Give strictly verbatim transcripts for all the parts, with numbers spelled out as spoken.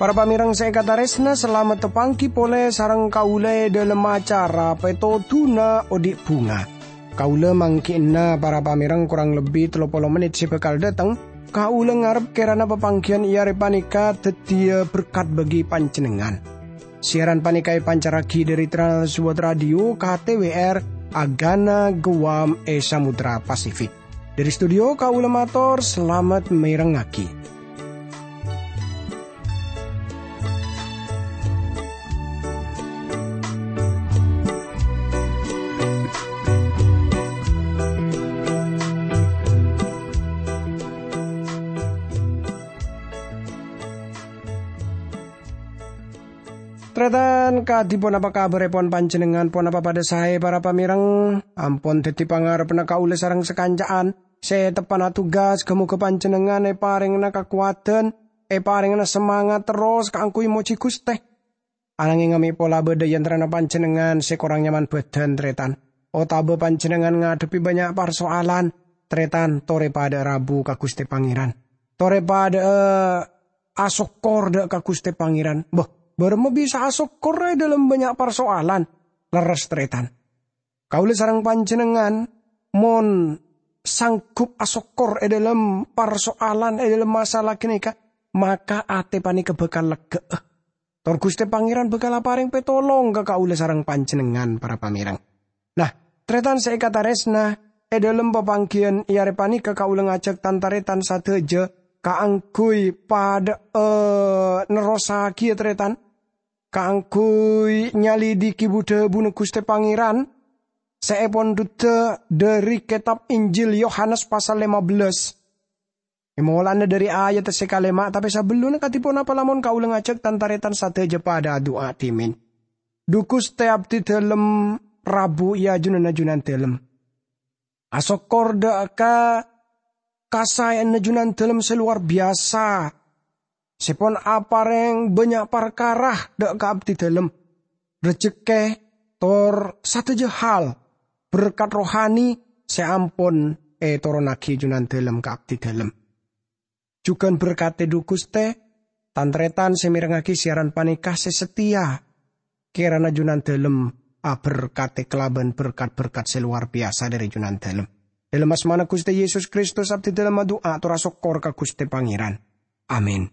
Para pamèrèng sè èkatarèsna, salamet tapangghi polè sareng kaulâ è dhâlem acara Pètodhuna Odi' Bhunga. Kaulâ mangghi'na para pamèrèng korang lebbi tello polo mennit sè bhâkal dâteng. Kaulâ ngarep kèrana papangghiyân è arè panèka dhâddhiyâ berkat bagi panjhennengngan. Siaran panèka èpancarraghi dhâri Trans World Radio K T W R, Agana Guam è Samudra Pasifik. Dhâri studio kaulâ mator salamet mèrengngaghi. Tarètan, kadhi ponapa kabhârèpon panjhennengngan? Ponapa padhâ saè, para pamèrèng? Ampon dhâddhi pangarebbhâ kaulâ sareng sakanca'an sè teppa'na tugas. Ghâ-mogâ panjhennengngan èparèngana kakowadhân, èparèngana samangat terros kaangghuy mojhi Ghustè. Ananghèng mè' pola bâdâ è antarana panjhennengngan sè korang nyaman bhâdhân, tarètan, otabâ panjhennengngan ngadhebbhi bânnya' parsoalan, tarètan, torè padhâ'â rabu ka Ghustè Pangèran. Torè padhâ'â asokkor dâ' ka Ghustè Pangèran. Bâh, bârâmma bisa asokkor è dhâlem bânnya' parsoalan? Lerres, tarètan. Kaulâ sareng panjhennengngan mon sanggup asokkor è dhâlem parsoalan, è dhâlem masalah ghânèka, maka atè panèka bhâkal leggâ'â. Tor Ghustè Pangèran bhâkal aparèng pètolong ka kaulâ sareng panjhennengngan, para pamèrèng. Nah, tarètan sè èkatarèsna, è dhâlem papangghiyân è arè panèka kaulâ ngajhâk tan-tarètan sadhâjâ kaangghuy padhâ'â nerrossaghiyâ, tarètan, kaangghuy nyalidiki bu-dhâbuna Ghustè Pangèran sè èpondhudhâ dhâri kètab Injil Yohanes pasal lèma bellâs. È molana dhâri ayat sè kalèma', tapè sabellunna kadhi ponapa lamon kaulâ ngajhâk tan-tarètan sadhâjâ padhâ adu'a dhimèn. Dhu Ghustè, abdhi dhâlem rabu è ajunanna Junandhâlem. Asokkor dâ' ka kasaèyanna Junandhâlem sè lowar biyasa, sè pon aparèng bânnya' parkara dâ' ka abdhi dhâlem, rejekkè, tor sadhâjâ hal berkat rohani sè ampon ètoronnaghi Junandhâlem ka abdhi dhâlem. Jhughân berkadhi, dhu Ghustè, tan-tarètan sè mèrengngaghi siaran panèka sè sateya. Kèrana Junandhâlem aberkadhi kalabân berkat-berkat sè lowar biyasa dhâri Junandhâlem. Dhâlem asmana Ghustè Yesus Kristus, abdhi dhâlem adu'a tor asokkor ka Ghustè Pangèran. Amin.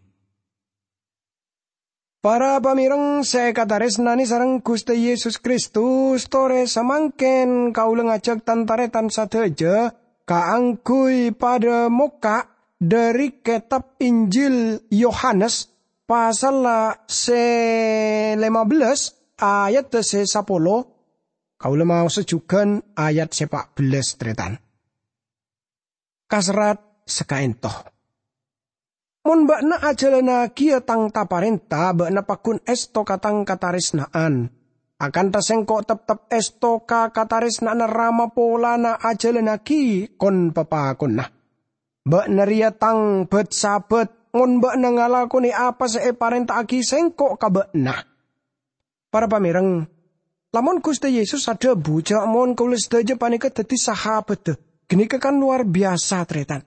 Para pamèrèng sè èkatarèsnanè sareng Ghustè Yesus Kristus, torè samangkèn kaulâ ngajhâk tan-tarètan sadhâjâ kaangghuy padhâ mokka' dhâri kètab Injil Yohanes, pasalla sè lèma bellâs, ayadda sè sapolo. Kaulâ maosa jhughân ayat sè pa' bellâs, tarètan. Kaserrat sakaènto. Mon bâ'na ajhâlânnagiyâ Tang ta-parènta, bâ'na paggun èsto ka Tang katarèsna'an. Akantha Sèngko' teptep èsto ka katarèsna'anna Rama polana ajhâlânnaghi kon-papakonna. Bâ'na rèya Tang bât-sabât, mon bâ'na ngalakonè apa sè èparènta'aghi Sèngko' ka bâ'na. Para pamèrèng, lamon Ghustè Yesus adhâbu jhâ' mon kaulâ sadhâjâ panèka dhâddhi sahabhâddhâ, ghânèka kan lowar biyasa, tarètan.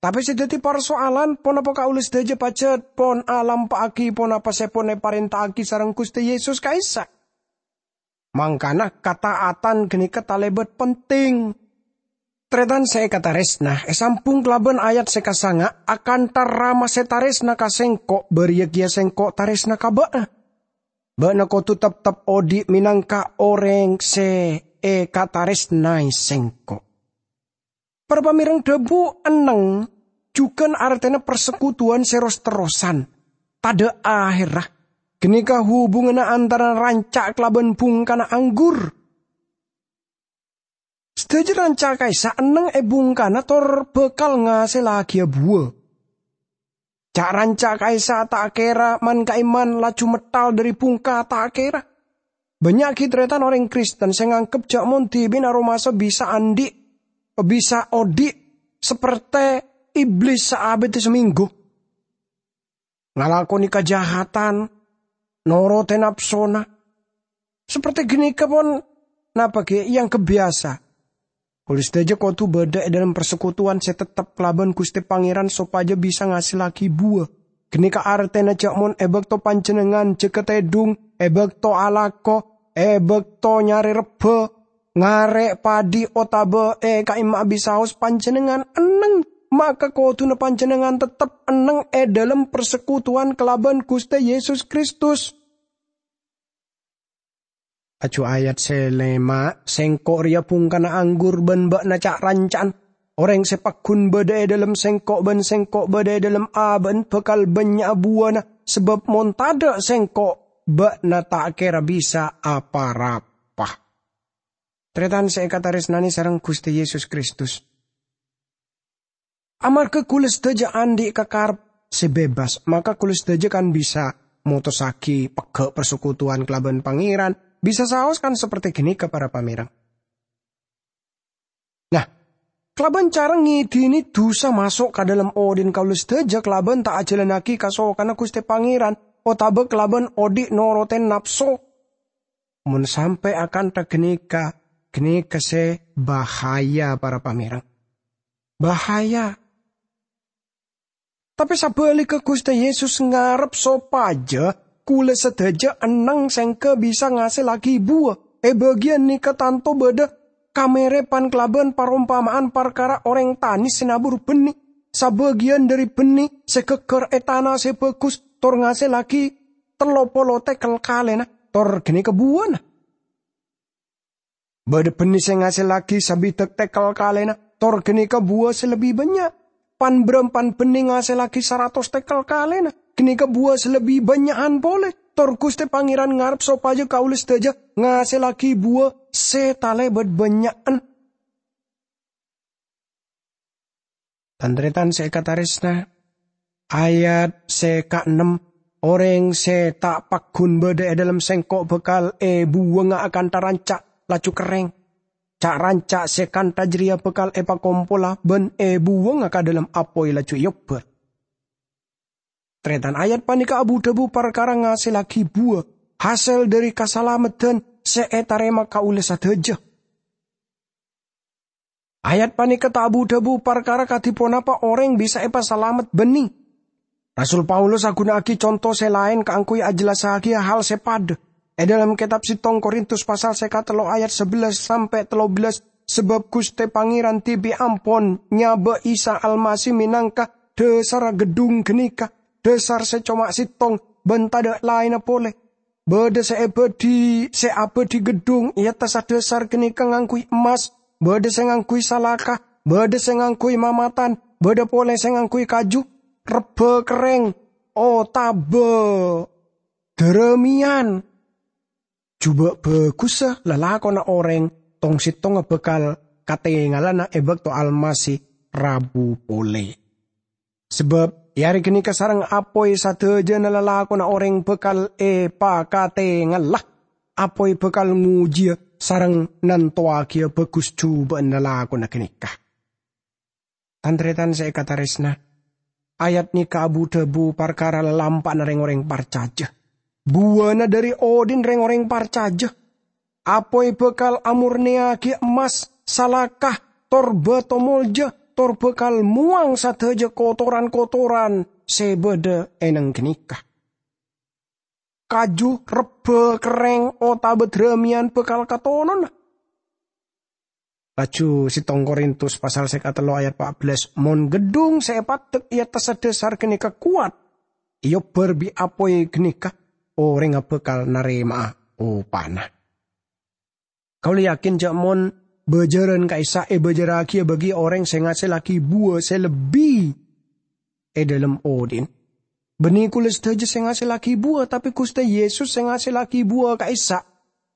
Tapè sè dhâddhi parsoalan, ponapa kaulâ sadhâjâ pajhât pon alampa'aghi ponapa sè pon èparènta'aghi sareng Ghustè Yesus ka'issa'? Mangkana, kataatan ghânèka talèbât penting. Tarètan sè èkatarèsna, èsambhung kalabân ayat sè kasanga', "Akantha Rama sè tarèsna ka Sèngko', bâriyâ kèya Sèngko' tarèsna ka bâ'na." Bâ'na kodhu teptep odi' mènangka orèng sè èkatarèsnaè Sèngko'. Para pamèrèng, dhâbu enneng jhughân artèna parsekutuwan sè ros-terrosan, tadhâ' ahèrra. Ghânèka hubunganna antarana ranca' kalabân bhungkana anggur. Sadhâjâ ranca' ka'issa' enneng è bhungkana tor bhâkal ngasèllaghi buwâ. Ca'-ranca' ka'issa' ta' kèra man-ka'imman laju metthal dhâri bhungka ta' kèra. Bânnya' ghi' tarètan orèng Kristen sè nganggep jhâ' mon dhibi'na aromasa bisa andi', bisa odi' saperte Iblis saabidda samènggu. Ngalakonè kajahatan, norote napsona. Saperti ganeka pon napa ghi' eangghep biyasa. Kaula sadaja kodu badha e dhalem parsekutuwan se teptep kalaban Guste Pangeran sopaja bisa ngasellagi buwa. Ganeka artena ja' mon e bakto panjennengngan jaga tedhung, e bakto alako, e bakto nyare rebba, ngare' padhi otaba e ka'imma abisaos panjennengngan enneng, maka koduna panjennengngan teptep enneng e dhalem parsekutuwan kalaban Guste Yesus Kristus. Laju ayat se lema, "Sengko' reya bungkana anggur ban ba'na ca'-ranca'an. Oreng se paggun badha e dhalem Sengko' ban Sengko' badha e dhalem aba'an bakal bannya'a buwana, sabab mon tadha' Sengko', ba'na ta' kera bisa apa-rapa." Taretan se ekataresnane sareng Guste Yesus Kristus. Amarga kaula sadaja andhi' kakarep se bebas, maka kaula sadaja kan bisa motossagi pegga' parsekutuwan kalaban Pangeran, bisa saos kan saperti ganeka, para pamereng. Nah, kalaban cara ngedine dusa maso' ka dhalem odhi'na kaula sadaja kalaban ta' ajalannagi kasokanna Guste Pangeran, otaba kalaban odhi' norote napso. Mon sampe' akantha ganeka, ganeka se bahaya, para pamereng. Bahaya. Tape sabaligga, Guste Yesus ngarep sopaja kaula sadaja enneng sengga bisa ngasellagi buwa. E bagiyan neka tanto badha kamerepan kalaban parompama'an parkara oreng tane se nabur banne. Sabagiyan dhari banne se gaggar e tana se bagus tor ngasellagi tello polo tekel kalena, tor ganeka buwana. Badha banne se ngasellagi sabidhak tekel kalena, tor ganeka buwa se lebbi bannya'. Pan-barampan banne ngasellagi saratos tekel kalena, ganeka buwa se lebbi bannya'an pole. Tor Guste Pangeran ngarep sopaja kaula sadaja ngasellagi buwa se talebat bannya'an. Tan-taretan se ekataresna, ayat se kaennem, "Oreng se ta' paggun badha e dhalem Sengko' bakal ebuwanga akantha ranca', laju kerreng. Ca'-ranca' se kantha jareya bakal epakompola ban ebuwanga ka dhalem apoy, laju eobbar." Taretan, ayat paneka abu-dhabu parkara ngasellagi buwa, hasel dhari kasalameddhan se etarema kaula sadaja. Ayat paneka ta' abu-dhabu parkara kadi ponapa oreng bisa epasalamet banne. Rasul Paulus aguna'agi conto se laen kaangguy ajellassagiya hal se padha. E dhalem ketab settong Korintus pasal seka tello ayat sabellas sampe' tello bellas, "Sabab Guste Pangeran dibi' ampon nyaba Isa Almasih menangka dhasarra geddhung ganeka, dhasar se coma settong ban tadha' laenna pole. Badha se ebadhi-, se abadhi geddhung e attassa dhasar ganeka ngangguy emmas, badha se ngangguy salaka, badha se ngangguy mamatan, badha pole se ngangguy kaju, rebba kerreng, otaba darameyan. Juba' bagussa lalakonna oreng tong-settongnga bakal katengalana e bakto Almasih rabu pole. Sabab e are ganeka sareng apoy sadajana lalakonna oreng bakal epakatengala. Apoy bakal ngojiya sareng nantowagiya bagus juba'an lalakonna ganeka." Tan-taretan se ekataresna, ayat neka abu-dhabu parkara lalampa'na reng-oreng parcaja. Buwana dhari odhi'na reng-oreng parcaja. Apoy bakal amurneyagi emmas, salaka, tor bato molja, tor bakal mowang sadaja kotoran-kotoran se badha e neng ganeka. Kaju, rebba, kerreng, otaba darameyan bakal katonona. Laju settong Korintus pasal seka tello ayat empat belas, "Mon geddhung se epaddek e attassa dhasar ganeka kowat, eobbar bi' apoy ganeka, orengnga bakal narema'a opana." Kaula yakin ja' mon bajaran ka'issa' ebajarragiya bagi oreng se ngasellagi buwa se lebbi e dhalem odhi'na. Banne kaula sadaja se ngasellagi buwa, tape Guste Yesus se ngasellagi buwa ka'issa'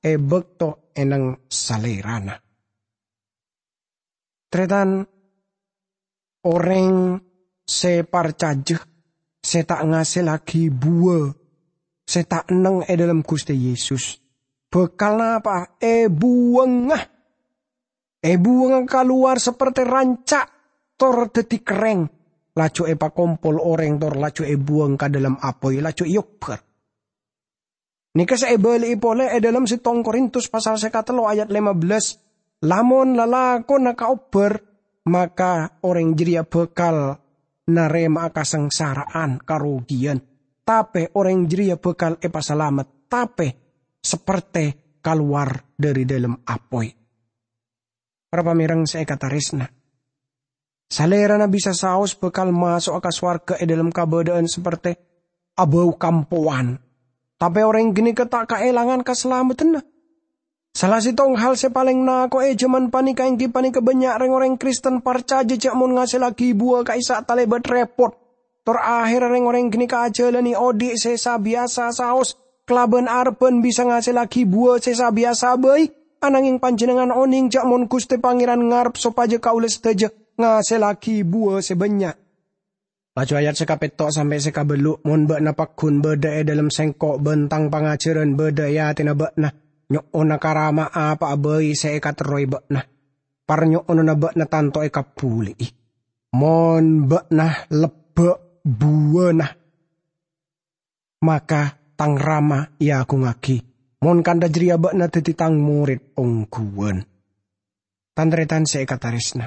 e bakto e neng Salerana. Taretan, oreng se parcaja, se ta' ngasellagi buwa, se ta' neng e dhalem Guste Yesus, bakal napa'a? Ebuwanga. Ebuwanga kalowar saperte ranca', tor daddi kerreng, laju epakompol oreng, tor laju ebuwang ka dhalem apoy, laju eobbar. Nèka sè èbâli'i polè è dhâlem settong Korintus pasal sè katello ayat lèma bellâs, "Lamon lalakonna kaobbhâr, maka orèng jârèya bhâkal narèma'a kasangsara'an, karogiyan, tapè orèng jârèya bhâkal èpasalamet, tapè saperte kalowar dhâri dhâlem apoy." Para pamèreng sè èkatarèsna, Salèrana bisa saos bhâkal maso'a ka sowarghâ è dhâlem kabâdâ'ân saperte abâu kampowan. Tapè orèng ghânèka ta' kaèlangan kasalameddhânna. Sala settong hal sè palèng nako'è è jhâman panèka èngghi panèka bânnya' rèng-orèng Kristen parcajâ jâ' mon ngasèllaghi buwâ ka'issa' talèbât rèpot. Tor aherra rèng-orèng ghânèka ajhâlânè odhi' sè sabiyasa saos kalabân arebbhân bisa ngasèllaghi buwâ sè sabiyasa bhâi, ananghing panjhennengngan onèng jâ' mon Ghustè Pangèran ngarep sopajâ kaulâ sadhâjâ ngasèllaghi buwâ sè bânnya'. Laju ayat sè kapètto' sampè' sè kabâllu', "Mon bâ'na pagghun bâdâ è dhâlem sèngko' bân tang pangajhârân bâdâ è atèna bâ'na, nyo'ona ka Rama apa'a bhâi sè èkaterrowè bâ'na. Parnyo'onanna bâ'na tanto èkabulli'i. Mon bâ'na lebbâ' buwâna, maka tang Rama èagungngaghi. Mon kantha jârèya bâ'na dhâddhi tang morèd ongghuwân." Tan-tarètan sè èkatarèsna,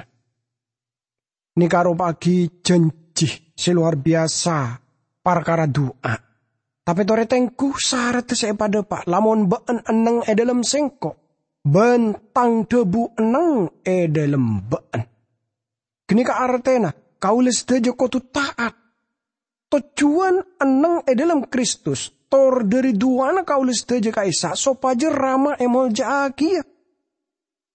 nèka aropa'aghi jhânjhi sè lowar biyasa parkara du'a. Tapè torè tengghu saradda sè èpadâpa', "Lamon bâ'na enneng è dhâlem sèngko', bân tang dhâbu enneng è dhâlem bâ'na." Ghânèka artèna kaulâ sadhâjâ kodhu ta'at. Tojjhuwân enneng è dhâlem Kristus, tor dhâri du'ana kaulâ sadhâjâ ka'issa' sopajâ Rama èmolja'aghiyâ.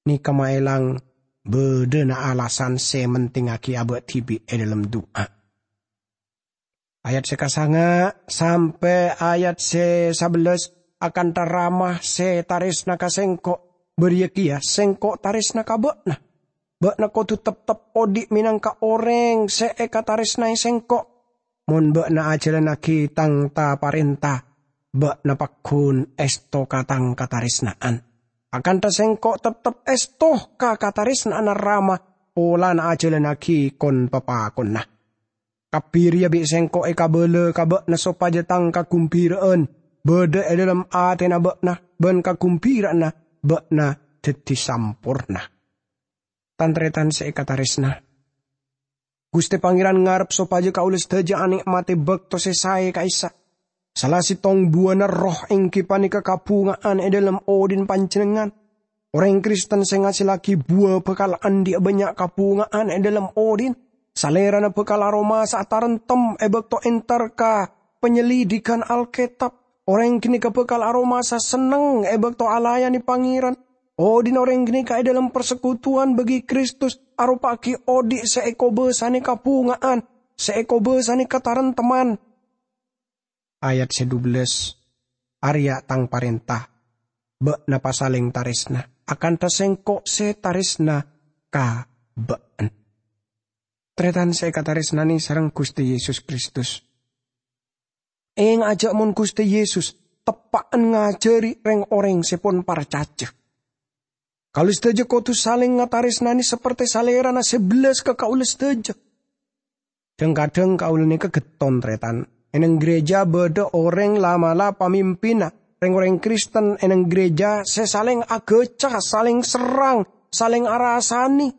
Nèka maèlang bâdâna alasan sè mentingngaghi abâ' dhibi' è dhâlem du'a. Ayat sè kasanga' sampè' ayat sè sabellâs, "Akantha Rama sè tarèsna ka sèngko', bâriyâ kèya sèngko' tarèsna ka bâ'na. Bâ'na kodhu teptep odhi' mènangka orèng sè èkatarèsnaè sèngko'. Mon bâ'na ajhâlânnaghi tang ta-parènta, bâ'na pagghun èsto ka tang katarèsna'an. Akantha sèngko' teptep èsto ka katarèsna'anna Rama polana ajhâlânnaghi kon-papakonna. Kabbhi rèya bi' sèngko' èkabâlâ ka bâ'na sopajâ tang kaghembira'an bâdâ è dhâlem atèna bâ'na, bân kaghembira'anna bâ'na dhâddhi samporna." Tan-tarètan sè èkatarèsna, Ghustè Pangèran ngarep sopajâ kaulâ sadhâjâ anè'matè bâkto sè saè ka'issa'. Sala settong buwâna Erroh èngghi panèka kabhunga'an è dhâlem odhi'na panjhennengngan. Orèng Kristen sè ngasèllaghi buwâ bhâkal andi'â bânnya' kabhunga'an è dhâlem odhi'na. Salèrana bhâkal aromasa'a taremtem è bâkto entar ka panyelidikan Alkètab. Orèng ghânèka bhâkal aromasa senneng è bâkto alayanè Pangèran. Odhi'na orèng ghânèka è dhâlem parsekutuwan bâgi Kristus aropa'aghi odhi' sè èkobâsanè kabhunga'an, sè èkobâsanè kataremtemman. Ayat sè dubellâs, "Arèya tang parènta, bâ'na pasalèng tarèsna, akantha sèngko' sè tarèsna ka bâ'na." Tarètan sè èkatarèsnanè sareng Ghustè Yesus Kristus. Ènga'a jâ' mon Ghustè Yesus teppa'na ngajhâri rèng-orèng sè pon parcajâ. Kaulâ sadhâjâ kodhu salèng ngatarèsnanè saperte Salèrana sè bellâs ka kaulâ sadhâjâ. Dhâng-kadhâng kaulâ nèka ghetton, tarètan. È neng gereja bâdâ orèng la'-mala' pamimpinna rèng-orèng Kristen è neng gereja sè salèng aghâca, salèng serrang, salèng arasanè.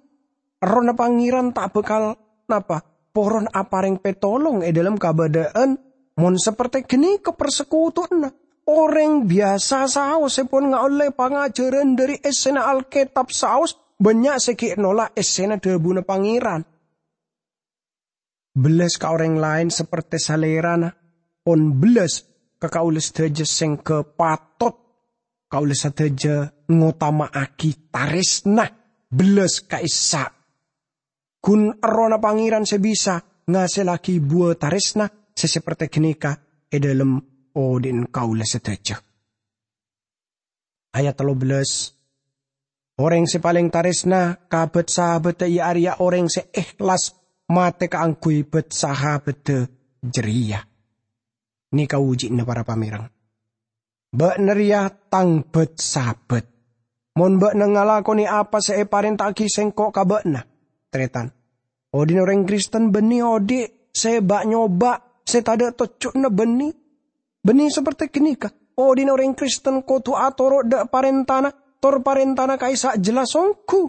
Errohna Pangèran ta' bhâkal napa? Poron aparèng pètolong è dhâlem kabâdâ'ân mon saperte ghânèka parsekutuwanna. Orèng biyasa saos sè pon ngaollè pangajhârân dhâri essèna Alkètab saos bânnya' sè ghi' nola' essèna dhâbuna Pangèran. Bellâs ka orèng laèn saperte Salèrana, pon bellâs ka kaulâ sadhâjâ sèngghâ patot kaulâ sadhâjâ ngotama'aghi tarèsna bellâs ka'issa'. Ghun Errohna Pangèran sè bisa ngasèllaghi buwâ tarèsna sè saperte ghânèka è dhâlem odhi'na kaulâ sadhâjâ. Ayat tello bellâs, "Orèng sè palèng tarèsna ka bât-sahabatta iyâ arèya orèng sè èhlas matè kaangghuy bât-sahabatta jârèya." Nèka ojhi'na para pamèreng. Bâ'na rèya tang bât-sahabat. Mon bâ'na ngalakonè apa sè èparènta'aghi sèngko' ka bâ'na, tarètan, odhi'na orèng Kristen bânnè odhi' sè ba'-nyoba', sè tadâ' tojjhuna bânnè. Bânnè saperte ghânèka, Odhi'na orèng Kristen kodhu atoro' dha' parèntana, tor parèntana ka'issa' jelas ongghu.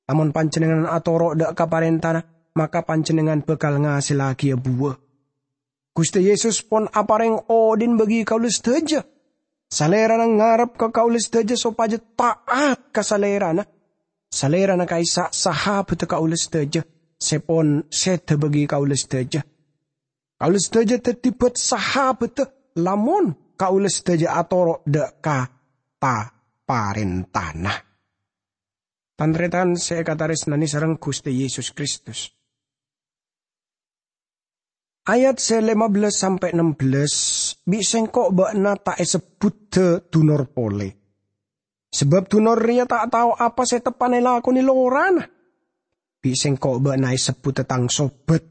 Lamon panjhennengngan atoro' dha' ka parèntana, maka panjhennengngan bhâkal ngasellangaghiyâ buwâ. Ghustè Yesus pon aparèng odhi'na bagi kaulâ sadhâjâ. Salèrana ngarep ka kaulâ sadhâjâ sopajâ ta'at ka Salèrana. Salèrana ka'issa' sahabhâddhâ kaulâ sadhâjâ, sè pon sèdhâ bagi kaulâ sadhâjâ. Kaulâ sadhâjâ dhâddhi bât sahabhâddhâ lamon kaulâ sadhâjâ atoro' dha' ka ta-, parèntana. Tan-tarètan sè èkatarèsnanè sareng Ghustè Yesus Kristus. Ayat sè lèma bellâs sampè' ennem bellâs, "Bi' sèngko' bâ'na ta' èsebbhudhâ dunor polè. Sabâb dunor rèya ta' tao apa sè teppa'na èlakonè lorana. Bi' sèngko' bâ'na èsebbhudhâ tang sobat.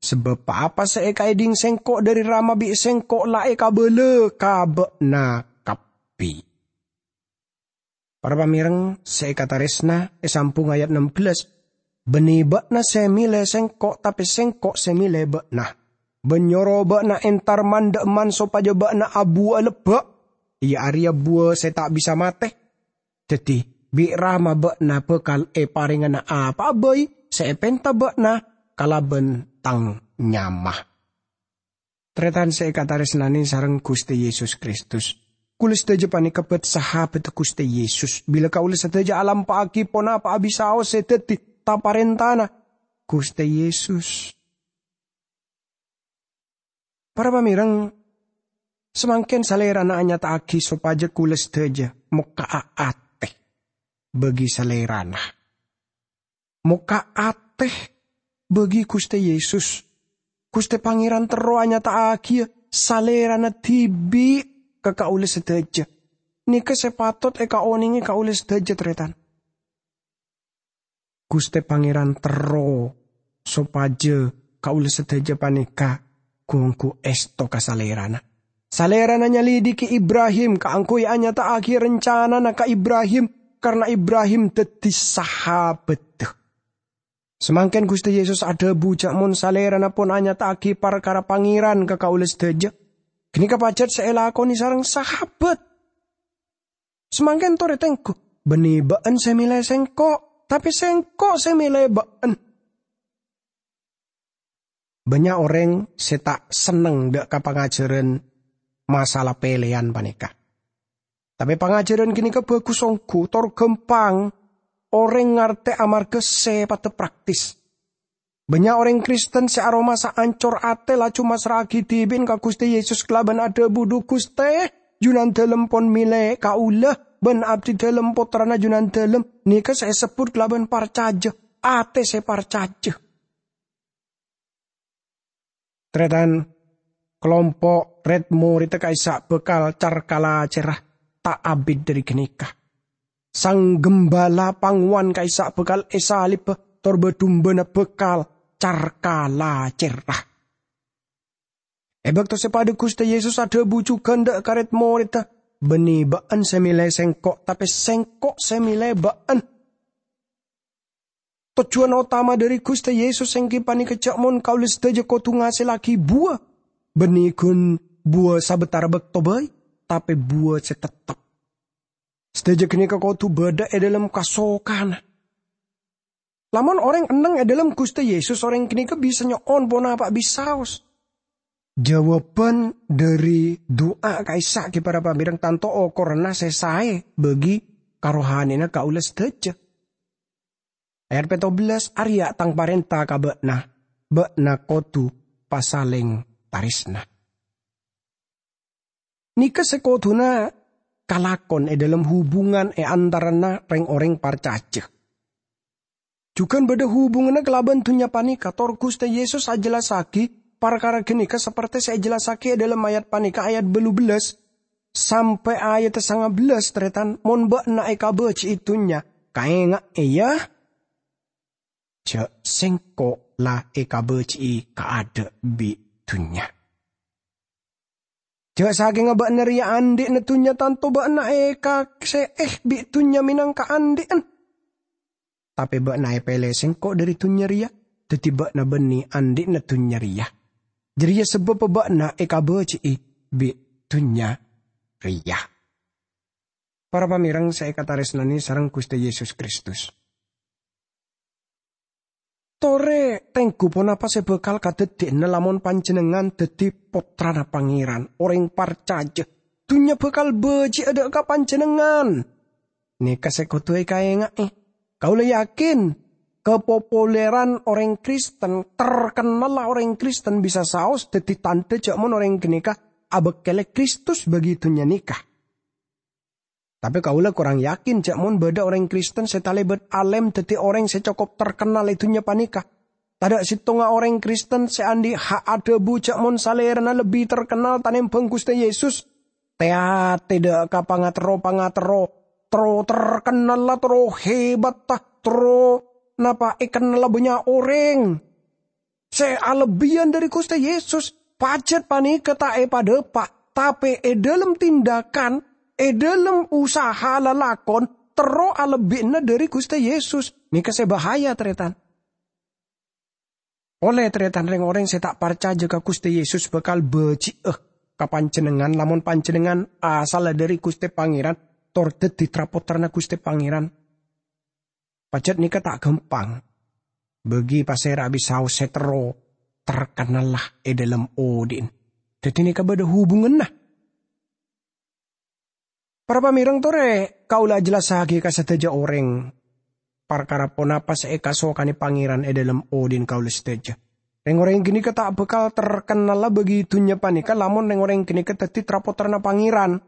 Sabâb pa-apa sè èkaèdhing sèngko' dhâri Rama bi' sèngko' la èkabâlâ ka bâ'na kabbhi." Para pamèreng sè èkatarèsna, èsambhung ayat ennem bellâs, "Bânnè bâ'na sè mèlè sèngko', tapè sèngko' sè mèlè bâ'na. Bân nyoro bâ'na entar man-dhâ'emman sopajâ bâ'na abuwâ'â lebbâ', iyâ arèya buwâ sè ta' bisa matè. Dhâddhi, bi' Rama bâ'na bhâkal èparèngana apa'a bhâi sè èpènta bâ'na kalabân tang nyama." Tarètan sè èkatarèsnanè sareng Ghustè Yesus Kristus. Kaulâ sadhâjâ panèka bât-sahabaddhâ Ghustè Yesus. Bilâ kaulâ sadhâjâ alampa'aghi ponapa'a bisaos sè dhâddhi ta-parèntana Ghustè Yesus. Para pamèreng, samangkèn Salèrana anyata'aghi sopajâ kaulâ sadhâjâ mokka'a atè bagi Salèrana. Mokka' atè bagi Ghustè Yesus. Ghustè Pangèran terro anyata'aghiyâ Salèrana dhibi' ka kaulâ sadhâjâ. Nèka sè patot èkaonèngè kaulâ sadhâjâ, tarètan. Ghustè Pangèran terro sopajâ kaulâ sadhâjâ panèka ghu-ongghu èsto ka Salèrana. Salèrana nyalidiki Ibrahim kaangghuy anyata'aghi rancanana ka Ibrahim, karna Ibrahim dhâddhi sahabaddhâ. Samangkèn Ghustè Yesus adhâbu jhâ' mon Salèrana pon anyata'aghi parkara Pangèran ka kaulâ sadhâjâ, ghânèka pajhât sè èlakonè sareng sahabat. Samangkèn torè tengghu, bânnè bâ'en sè mèlè sèngko', tapè sèngko' sè mèlè bâ'en. Bânnya' orèng sè ta' senneng dâ' ka pangajhârân masalah pèlèyan panèka. Tapè pangajhârân ghânèka bhâghus ongghu, tor ghâmpang orèng ngartè amarghâ sèpaddhâ praktis. Bânnya' orèng Kristen sè aromasa ancor atè laju massra'aghi dhibi'na ka Ghustè Yesus kalabân adhâbu, "Dhu Ghustè, Junandhâlem pon mèlè kaulâ, bân abdhidhâlem pottrana Junandhâlem." Nèka sè èsebbhut kalabân parcajâ, atè sè parcajâ. Tarètan, kalompo' rèd-morèdda ka'issa' bhâkal car-kalacèrra ta' abit dhâri ghânèka. Sang ghâmbhâla pangowan ka'issa' bhâkal èsalibbhâ, tor bâ-dumbâna bhâkal car-kalacèrra. È bâkto sè paḍâ Ghustè Yesus adhâbu jhughân dâ' ka rèd-morèdda, "Bânnè bâ'en sè mèlè sèngko', tapè sèngko' sè mèlè bâ'en." Tojjhuwân otama dhâri Ghustè Yesus èngghi panèka jhâ' mon kaulâ sadhâjâ kodhu ngasèllaghi buwâ, bânnè ghun buwâ sabâtara bâkto bhâi, tapè buwâ sè teptep. Sadhâjâ ghânèka kodhu bâḍâ è ḍâlem kasokana. Lamon orèng enneng è ḍâlem Ghustè Yesus, orèng ghânèka bisa nyo'on ponapa bisaos. Jâwâbhân dhâri du'a ka'issa' ghi' para pamèreng tanto okoranna sè saè bagi karohanèna kaulâ sadhâjâ. Ayat pètto bellâs, "Arèya' tang parènta ka bâ'na, bâ'na kodhu pasalèng tarèsna." Nèka sè kodhuna kalakon è ḍâlem hubungan è antarana rèng-orèng parcajâ. Jhughân bâḍâ hubunganna kalabân dhunnya panèka, tor Ghustè Yesus ajhellassaghi parkara ghânèka saperte sè èjhellassaghi è ḍâlem ayat panèka, ayat bâllu bellâs sampè' ayat sanga bellâs, tarètan, "Mon bâ'na èkabâji'i dhunnya, kaènga'è, yâ, jhâ' Sèngko' la èkabâji'i kaadâ' bi' dhunnya." Jhâ' sakènga bâ'na rèya anḍi'na dhunnya, tanto bâ'na èkasè'è bi' dhunnya mènangka anḍi'na. Tapè bâ'na èpèlè Sèngko' ḍâri dhunnya rèya, dhâddhi bâ'na bânnè anḍi'na dhunnya rèya. Jârèya sabâbbhâ bâ'na èkabâji'i bi' dhunnya rèya. Para pamèreng sè èkatarèsnanè sareng Ghustè Yesus Kristus. Torè tèngghu ponapa sè bhâkal kadhâddhiyâna lamon panjhennengngan dhâddhi pottrana Pangèran, orèng parcajâ. Dhunnya bhâkal bâji'â dâ' ka panjhennengngan. Nèka sè kodhu èkaènga'è. Kaulâ yakin, kapopuleran orèng Kristen, terkennalla orèng Kristen bisa saos dhâddhi tandhâ jhâ' mon orèng ghânèka abâkkèlè Kristus bagi dhunnya nèka. Tapè kaulâ korang yakin jhâ' mon bâdâ orèng Kristen sè talèbât alèm dhâddhi orèng sè cokop terkennal è dhunnya panèka. Tadâ' sèttonga orèng Kristen sè andi' ha' adhâbu jhâ' mon salèrana lebbi terkennal tanèmbhâng Ghustè Yesus. Tè-atè dâ' ka pangaterro-pangaterro, terro terkennalla, terro hebatta, terro napa èkennalla bânnya' orèng. Sè alebbiyân dhâri Ghustè Yesus, pajhât panèka ta' èpadâpa', tapè è dhâlem tindakan, è dhâlem usaha lalakon, terro alebbina dhâri Ghustè Yesus. Nèka sè bahaya, tarètan. Polè tarètan, rèng-orèng sè ta' parcajâ ka Ghustè Yesus bhâkal bâji'â ka panjhennengngan lamon panjhennengngan asalla dhâri Ghustè Pangèran, tor dhâddhi tra-pottrana Ghustè Pangèran. Pajhât nèka ta' ghâmpang. Bagi pasèra bisa saos sè terro terkennalla è dhâlem odi'na. Dhâddhi nèka bâdâ hubunganna. Para pamèreng, torè kaulâ ajhellassaghi ka sadhâjâ orèng parkara ponapa sè èkasokanè Pangèran è dhâlem odi'na kaulâ sadhâjâ. Rèng-orèng ghânèka ta' bhâkal terkennalla bagi dhunnya panèka lamon rèng-orèng ghânèka dhâddhi tra-pottrana Pangèran.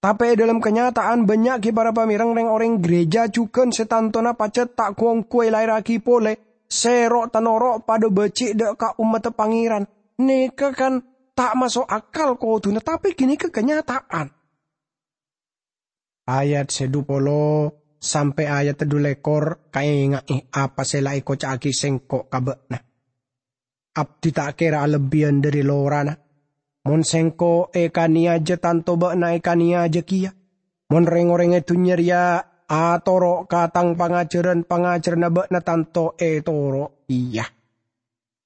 Tapè è dhâlem kanyata'an bânnya' ghi para pamèreng rèng-orèng ghârèjâ jhughân sè tantona pajhât ta' ghu-ongghu èlaèrraghi polè, sè ro'-tanoro' padâ bâji' dâ' ka ommaddhâ Pangèran. Nèka kan ta' maso' akal kodhuna, tapè ghânèka kanyata'an. Ayat sè dhu polo sampè' ayat dhu lèkor kaènga'è apa sè la èkoca'aghi Sèngko' ka bâ'na. Abdhi ta' kèra alebbiyân dhâri lorana. Mon Sèngko' èkanèyajâ, tanto bâ'na èkanèyajâ kèya. Mon rèng-orèng è dhunnya rèya atoro' ka Tang pangajhârân-pangajhârânna bâ'na, tanto ètoro' kèya.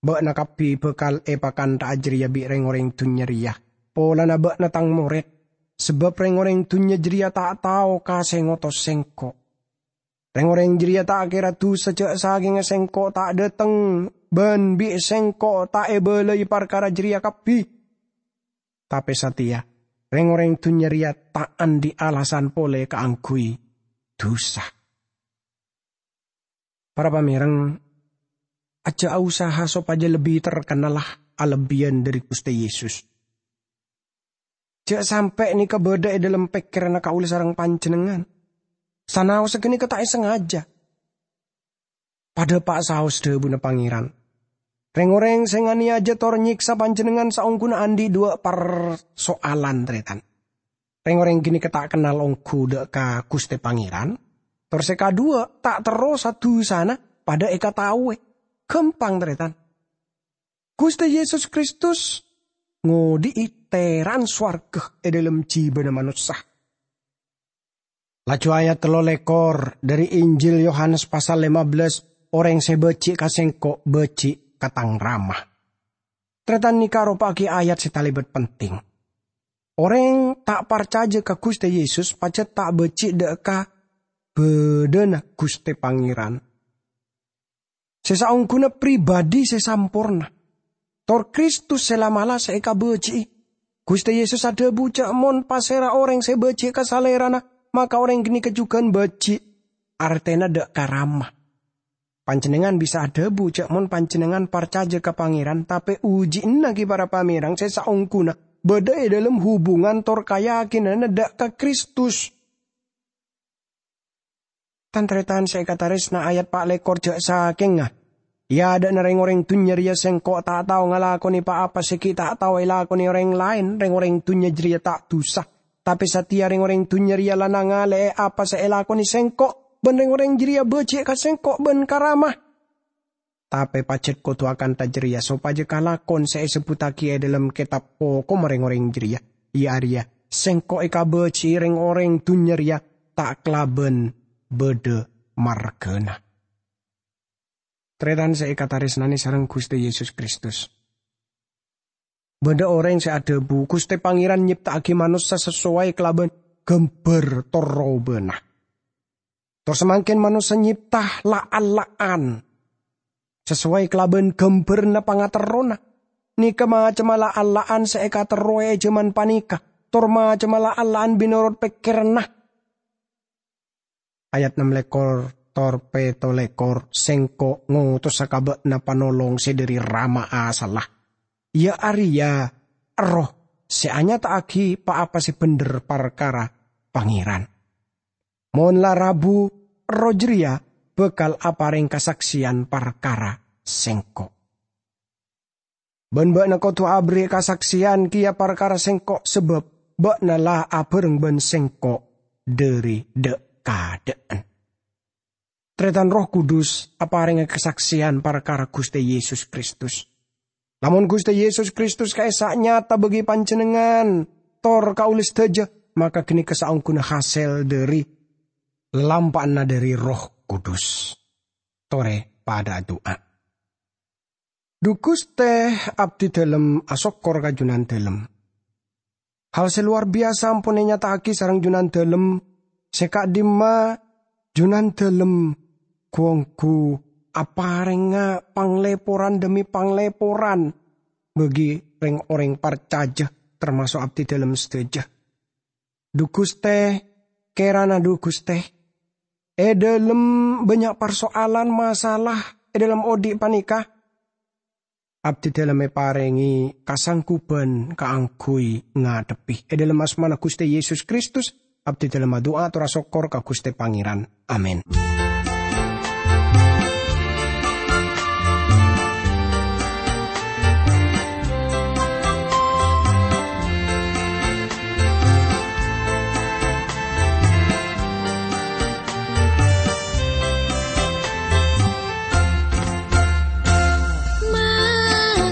Bâ'na kabbhi bhâkal èpakantha'a jârèya bi' rèng-orèng dhunnya rèya, polana bâ'na Tang morèd, sabâb rèng-orèng dhunnya jârèya ta' tao ka sè ngotos Sèngko'. Rèng-orèng jârèya ta' kèra dusa jhâ' sakènga Sèngko' ta' dâteng bân bi' Sèngko' ta' èbâlâi parkara jârèya kabbhi. Tapè satèya, rèng-orèng dhunnya rèya ta' andi' alasan polè kaangghuy dusa. Para pamèreng, ajjhâ' usaha sopajâ lebbi terkennalla alebbiyân dhâri Ghustè Yesus. Jhâ' sampè' nèka bâdâ è dhâlem pèkkèranna kaulâ sareng panjhennengngan. Sanaossa ghânèka ta' èsangajâ. Padâ pa' saos dhâbuna Pangèran. Rèng-orèng sè nganèyajâ tor nyèksa panjhennengngan saongghuna andi' duwâ' parsoalan, tarètan. Rèng-orèng ghânèka ta' kennal ongghu dâ' ka Ghustè Pangèran, tor sè kaduwâ' ta' terro sa-dusana padâ èkataowè. Ghâmpang, tarètan. Ghustè Yesus Kristus ngodhi'i tèran sowarghâ è dhâlem jhibâna manossa. Laju ayat tello lèkor dhâri Injil Yohanes pasal lèma bellâs, "Orèng sè bâji' ka Sèngko' bâji' ka Tang Rama." Tarètan, nèka aropa'aghi ayat sè talèbât penting. Orèng ta' parcajâ ka Ghustè Yesus pajhât ta' bâji' dâ' ka bâdâna Ghustè Pangèran. Sè saongghuna pribadi sè samporna, tor Kristus sè la'-mala' sè èkabâji'i. Ghustè Yesus adhâbu jhâ' mon pasèra orèng sè bâji' ka Salèrana, maka orèng ghânèka jhughân bâji', artèna dâ' ka Rama. Panjhennengngan bisa adhâbu jhâ' mon panjhennengngan parcajâ ka Pangèran, tapè uji'na ghi para pamèreng sè saongghuna bâdâ è dhâlem hubungan tor kayakinanna dâ' ka Kristus. Tan-tarètan sè èkatarèsna, ayat pa' lèkor jhâ' sakènga. È adâ'na rèng-orèng dhunnya rèya Sèngko' ta' tao ngalakonè pa-apa sè ghi' ta' tao èlakonè orèng laèn. Rèng-orèng dhunnya jârèya ta' dusa. Tapè satèya rèng-orèng dhunnya rèya la nangalè'è apa sè èlakonè Sèngko', bân rèng-orèng jârèya bâji' ka Sèngko' bân ka Rama. Tapè pajhât kodhu akantha jârèya sopajâ kalakon sè èsebbhuttaghi è dhâlem kètab hokomma rèng-orèng jârèya, iyâ arèya, Sèngko' èkabâji'i rèng-orèng dhunnya rèya ta' kalabân bâdâ marghâna. Tarètan sè èkatarèsnanè sareng Ghustè Yesus Kristus. Bâdâ orèng sè adhâbu, "Ghustè Pangèran nyèpta'aghi manossa sasoway kalabân ghâmbhâr tor robâna." Tor samangkèn manossa nyèpta la'-alla'an sasoway kalabân ghâmbhârânna pangaterrona. Nèka macemma la'-alla'an sè èkaterrowè è jhâman panèka, tor macemma la'-alla'an mènorot pèkkèranna. Ayat nem lèkor tor pèttolèkor, "Sèngko' ngotosa ka bâ'na Panolong sè dhâri Rama asalla, iyâ arèya Erroh sè anyata'aghi pa-apa sè bhendher parkara Pangèran. Mon la rabu, Erroh jârèya bhâkal aparèng kasaksèyan parkara Sèngko'. Bân bâ'na kodhu aberri' kasaksèyan kèya parkara Sèngko', sabâb bâ'na la abhâreng bân Sèngko' dhâri dâ'-kadâ'ân." Tarètan, Erroh Kudus aparènga kasaksèyan parkara Ghustè Yesus Kristus. Lamon Ghustè Yesus Kristus ka'issa' nyata bagi panjhennengngan tor kaulâ sadhâjâ, maka ghânèka saongghuna hasèl dhâri lalampa'anna dhâri Erroh Kudus. Torè padâ adu'a. Dhu Ghustè, abdhidhâlem asokkor ka Jhunandhâlem. Hal sè lowar biyasa ampon ènyata'aghi sareng Jhunandhâlem, sè ka'dimma Jhunandhâlem ghu-ongghu aparènga panglèporan dhâmi panglèporan bagi rèng-orèng parcajâ, tamaso' abdhidhâlem sadhâjâ. Dhu Ghustè, kèrana dhu Ghustè, è dhâlem bânnya' parsoalan masalah è dhâlem odi' panèka, abdhidhâlem èparèngè kasangguban kaangghuy ngadhebbhi. È dhâlem asmana Ghustè Yesus Kristus, abdhidhâlem adu'a tor asokkor ka Ghustè Pangèran. Amin.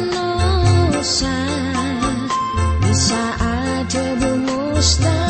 Manossa bisa adhâbu mustahil.